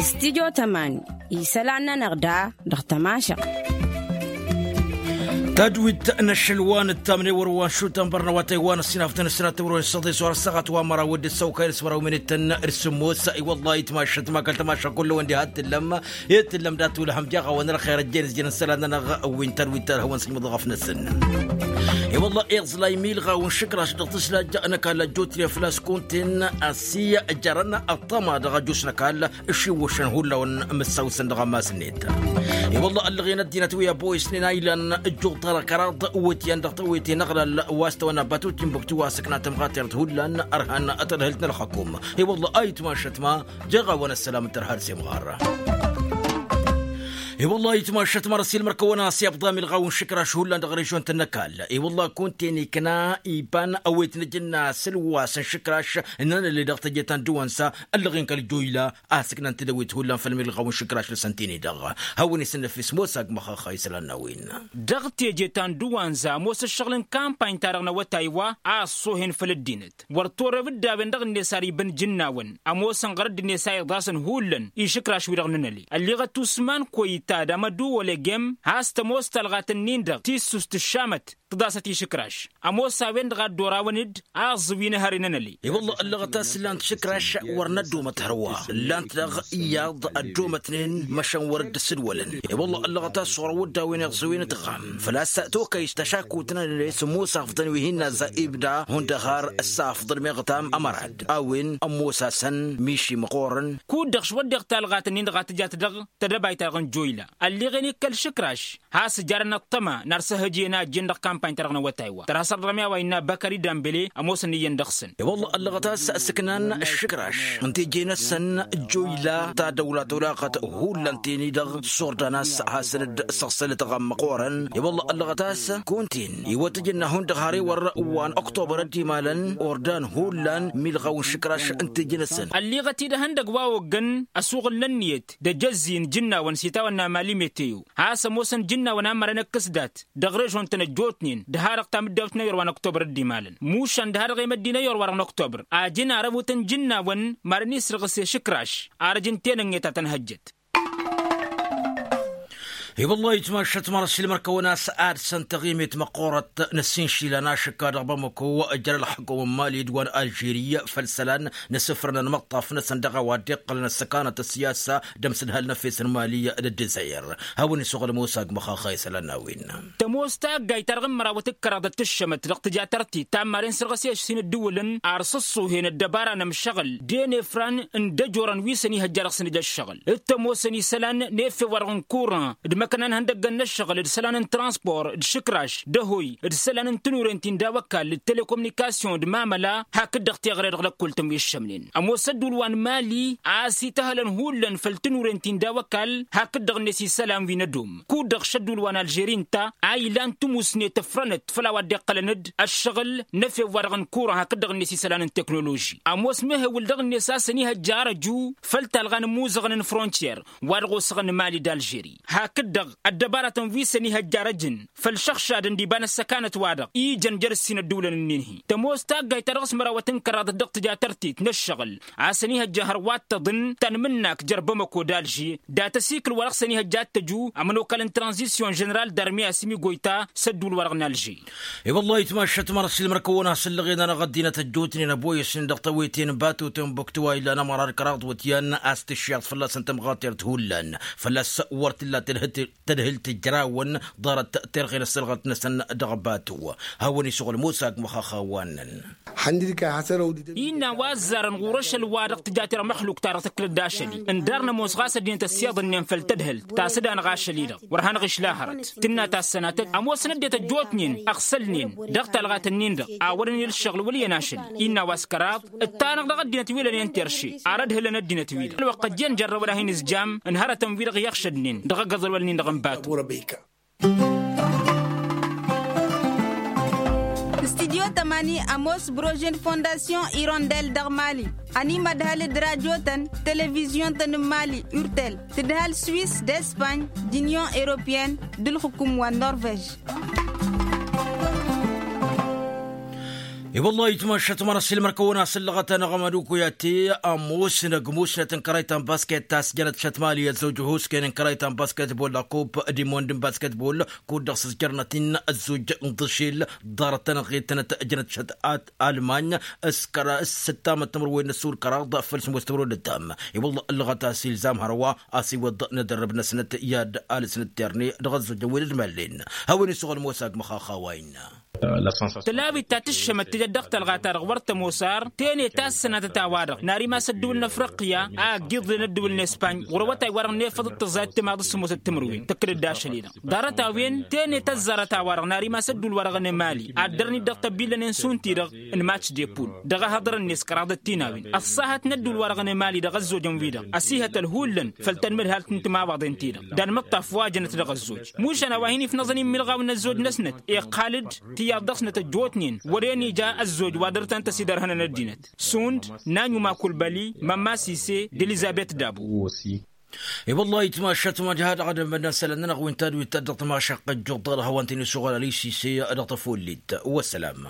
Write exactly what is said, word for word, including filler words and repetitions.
Stidyo tămani isălan-nănăɣ da dăɣ-tămašăɣt. Tadwit n-ašăl wa n-ǝttamne wăr-wa n-šutăn băr n-awătay wa n-ăssinafdăn ăssinat tămrăwen s-tăḍe s-wăr ăssaɣăt wa n-măraw d-ăssăwkay n-asmăraw minităn d-sǝmmos. I-wăllah itmašăt ma kăl-tămaša kull-wen diha t-tǝllăm i-tǝllăm dat-wǝlhăm jaɣ-awăn ălxer ăjjeen ǝzjăn isălan-nănăɣ. Wi n-tadwit talhăwăn s-ijmǝḍ ɣăf-năsăn. I-wăllah iẓlay milɣaw n-išǝkraš dăɣ-tǝsla ăjjăɣ n-ăkall ăjjootnen făl-a-s kunta-en. Ăssi jarăn ăṭṭăma dăɣ-ăjus n-ăkall ǝššiwwăšăn hullan mǝssawsăn dăɣ-ammas-net. I-wălla ăllăɣen ăddinăt wi ăboyăsnen a ilan ǝjjuḍ-ta dăɣ-kăraḍ wăt-iyyăn dăɣ-tawete n-aɣlal wa s-tawănna batu timbuktu wa s-ǝkna tămɣatert hullan ărhan tadhǝlt n-ălxăkum. I-wălla a itmašăt ma jeɣ-awăn ăssălam n-tărha d-semɣar. I-wălla a itmašăt ma răs ilmăr kăwăn-as i-abḍam ilɣaw n-išǝkraš hullan dăɣ-režon-tăn n-ăkall. I-wălla kunta-en ikna iban ăwet n-ajǝnna s-ǝlwas n-išǝkraš n-anălli dăɣ-teje ta n-dăwansa ăllăɣen kăl-joyla a ǝsǝknăn tidăwit hullan făll-milɣaw n-išǝkraš-năsăn tini-dăɣ. Hawăn-isǝnnăf ismos agmăx ăxxăy isălan n-a-wen. Dăɣ-teje ta n-dăwanza ămoos ǝššăɣǝl n-kampany-ta-dăɣ n-awătay wa a ăṣṣoohen făll-ăddinăt wăr torreb dd-a-wen dăɣ-net ar ibǝn jǝnnawăn ămoosăn ɣur-ăddinăt a iḍasăn hullan išǝkraš-wi-dăɣ n-anăli. Ălliɣăt usman koyta d-amădu olegem has-tămoos talɣat-ǝnnin-dăɣ tissust ǝššamăt tǝḍasăt išǝkraš. Ămoos a-wen-dăɣ a dd-orawăn-dd aẓǝw-i n-ehăre n-anăli. I-wălla ăllăɣăt a-s ǝllan-t išǝkraš wăr năddomăt hărwa ǝllan-t dăɣ-iyyăḍ ăddomătnen măšan wăr dd-sǝdwălăn. I-wălla ăllăɣăt a-s ɣur-awǝddawen iẓẓǝwen d-ɣam făl-a-s tokăyš tašakut n-anăli s-ămoos afḍăn wi hin-nazza ibda hundăɣ har ăssafḍăn meɣtam ămărad a-wen ămoos-asăn miši măqqoorăn. Kud-dăɣ šwăddeɣ talɣat-ǝnnin-dăɣ a tǝjat dăɣ-tedăbayt-ta-dăɣ n-joyla ălliɣen i-kăl-išǝkraš has-ǝjarăn ăṭṭăma n-arsăhăj iyyăn a ăjjeen dăɣ-kampany-ta-dăɣ n-awătay wa tărha sărdăɣ mi-a-wa innă băkări dambele. Ămoosăn iyyăn dăɣ-săn. I-wălla ăllăɣăt a-s ǝsǝknan išǝkraš n-teje-năsăn joyla ta dăwla tolaɣăt hullan teni-dăɣ s-ordan a-s hasăn-dd-săɣsălăt ɣam măqqoorăn. I-wălla ăllăɣăt a-s kunta-en iwăt ǝjǝnna hundăɣ har ewăr wa n-ăktobăr ăddimalăn ordan hullan milɣaw n-išǝkraš n-teje-năsăn. Ălliɣăt-dd ehăndăgg wa oggăn ăsuɣǝl n-ǝnniyăt d-ajăzzi n-ijǝnnawăn s-itawănna mali meteo has-ămoosăn ijǝnnawăn a mărăn ǝkkǝs dat dăɣ-režon-tăn ăjjootnen d-ha-dăɣ tamǝddawt n-ayyor wa n-ăktobăr dd-imalăn mušan d-ha-dăɣ i-măddi n-ayyor wa-dăɣ n-ăktobăr. A jǝn arăbut n-ijǝnnawăn mărăn isrǝɣǝs i-išǝkraš arăj n-tenănge ta tăn-hăjjăt. I-wăllah itmašăt mărăs ilmăr-kăwăn a-s ad-săn tăɣimet măqqoorăt n-ăssinšilăn ašǝkka dăɣ-bamăko. Jăr-ălxăkum n-mali d-wa n-alžeri făll-isălan n-asǝfrăn ănmăṭṭaf-năsăn dăɣ-a-wa dd-iqqălăn ăssăkanăt ăssiyasa d-amsǝdhal n-efes n-mali d-ăddezayăr. Hawăn-isuɣǝl musa agmăxaxa isălan n-a-wen. Tămoos taggayt-ta-dăɣ n-mărawăt d-kăraḍăt tǝššămăt dăɣ-tǝja tărtit ta n-maren sărɣăs i-ašsin dd-iwǝlăn ar sǝṣṣuhen ăddăbara n-ămšăɣǝl d-enefran n-dăjorăn wi săn ihăjja dăɣ-săn ija ăššăɣǝl d-tămoosăn isălan n-efew-wa-dăɣ n-kuran d-imăkna n-ihăndăggăn n-ăššăɣǝl d-isălan n-transpor d-išǝkraš d-ehăy d-isălan n-tinuren ti n-daw-ăkall d-telekomunikasyon d-mamăla. Hakd-dăɣ teɣăre dăɣ-lăkkol-tăn wi ǝššămnen ămoos ădduul wa n-mali a-s ităhălăn hullan făll-tinuren ti n-daw-ăkall hakd-dăɣ-net isălan wi n-ădom kud-dăɣ šăddul wa n-alžeri ǝnta a ilan timusnet ǝfrănăt făll-a-wa dd-iqqălăn-dd ăššăɣǝl n-efew-wa-dăɣ n-kuran hakd-dăɣ-net isălan n-teknoloži. Ămoos mehewǝl dăɣ-net a-s ănihăjja arăju făll-talɣa n-imuzăɣăn n-frontiyer wa dăɣ-osăɣăn n-mali d-alžeri hakd-dăɣ ăddăbaratăn wi s-ănihăjja arăjăn făll-išăɣšadăn d-iba n-ăssăkanăt-wa-dăɣ ijăn jer-ǝssin ădduulăn-ǝnnin-hi. Tămoos taggayt ta dăɣ-s mărawăt n-kăraḍăt dăɣ-tǝja tărtit n-ǝššăɣǝl a-s ănihăjja hărwa t-tăḍǝn ta n-imǝnnak jer-bamăko d-alžer dat-ăsikǝl wa dăɣ-s ănihăjja ad-tăju ămănokal n-tranzisyon ženeral d-armi asǝm igoyta s-ădduul-wa-dăɣ n-alžer. I-wăllah itmašăt mărăs ilmăr-kăwăn-as ǝllăɣen-anăɣ ăddinăt ăjjootnen ăboyăsnen dăɣ-tawete n-batu timbuktu wa illan ămăra d-kăraḍ wătyan a-s tǝššeḍ fălla-săn tămɣatert hullan fălla-s wăr t-illa tadhǝlt tǝjrawăn ḍarăt terɣen ăssălɣăt-năsăn dăɣ-batu. Hawăn-isuɣǝl musa agmăxaxa wa ǝnnăn. Innă a-wa ăzzarăn ɣur-ašăl-wa-dăɣ tǝja terɣ măxluk-ta-dăɣ tǝklăd d-ašăl-i ǝndarnăm-os ɣas ăddinăt ăssiḍǝnnen făll-tadhǝlt ta s-dd-anăɣ ašăl-i-dăɣ wăr hanăɣ-išla hărăt tǝnna ta s-sănatăt ămoosăn ăddinăt ăjjootnen ăɣsălnen dăɣ-talɣat-ǝnnin-dăɣ a wărăn i-ǝlšăɣǝl wăl' iyyăn ašăl-i. Innă a-wa s-kăraḍ ǝttanăɣ dăɣ-ăddinăt wi lănen terše ar ădhǝlăn ăddinăt-wi-dăɣ ălwăqq ăjjeen jărrăwăn a hin-ǝzjam n-hărătăn-wi-dăɣ i-ăɣšădnen dăɣ-agǝḍăl wăl-nin-dăɣ n-batu. Studyo tămani ămoos brože n-fondasyon irondel dăɣ-mali ănimădhăl d-radyo-tăn televizyon-tăn n-mali urtel tǝdhăl swis d-espany d-inyon europeyăn d-ǝlxǝkum wa n-norvej. I-wălla itmašăt măra s-ilmăr-kăwăn-as ǝllăɣăt-anăɣ ămădukuyate ămoosnăg musnăt n-kărăyta n-basket ta s-jănăt šăt mali ăzzojăhosken n-kărăyta n-basket bolla kup dimond n-basket bolla kud-dăɣ s-ǝzjărnăt-in ăzzoj n-dăšel ḍarăt-anăɣ-i tănăt-jănăt šăt almany s-kăra s-săttamăt timǝrwen n-ăssurkăraḍ făll-sămoos timǝrwen d-ăttam. I-wălla ǝllăɣăt a-s ilzam hărwa a-s iwăḍ n-edărrăb-năsnăt i-ad-alăsnăt terne dăɣ-ăzzojăn wi d-ădmăllen. Hawăn-isuɣăl mosa agmăxax a-wa innă. Tălawit ta tǝššămăt tijăt dăɣ-talɣa-ta-dăɣ wăr tămoos ar tene tassănatăt a-wa-dăɣ n-ar imas ădduul n-afriqya a ăgg-iḍen ădduul n-espany ɣur-awătay wa-dăɣ n-efăḍ d-tăẓẓayăt timaḍ s-sămoosăt timǝrwen tǝkkǝd-dd ašăl-i-dăɣ. Ḍarăt-a-wen tene tăzzarăt a-wa-dăɣ n-ar imas ădduul-wa-dăɣ n-emali ad-dăr-nit dăɣ-tăbbillăn n-sunti-dăɣ n-match de pul dăɣ-ehăḍărăn-net kăraḍăt tinawen ăṣṣahăt n-ădduul-wa-dăɣ n-emali dăɣ-ăzzojăn-wi-dăɣ ăsihătăl hullan făll-tanmǝdhalt n-timawaḍen-ti-dăɣ d-anmǝṭṭaf wa jănăt dăɣ-ăzzoj. Mušan a-wa hin-ifnăẓăn imilɣaw n-ăzzoj-năsnăt iqqal-dd tiyyăḍ dăɣ-snăt ăjjootnen wăren ija ăzzoj wa dăr-tăn-tăsidărhănăn ăddinăt. Sund, nanyuma kulbăli, mămma sise, d-elizabet dabo. I-wăllah itmašat mad-ha-dăɣ ad-ămmădăn isălan-nănăɣ wi n-tadwit ta dăɣ-tamašăɣt ăjjuḍ dăɣ-dăɣ hawăn-t-in-isuɣăl ălay sise dăɣ-tăfollit. Wăssălam.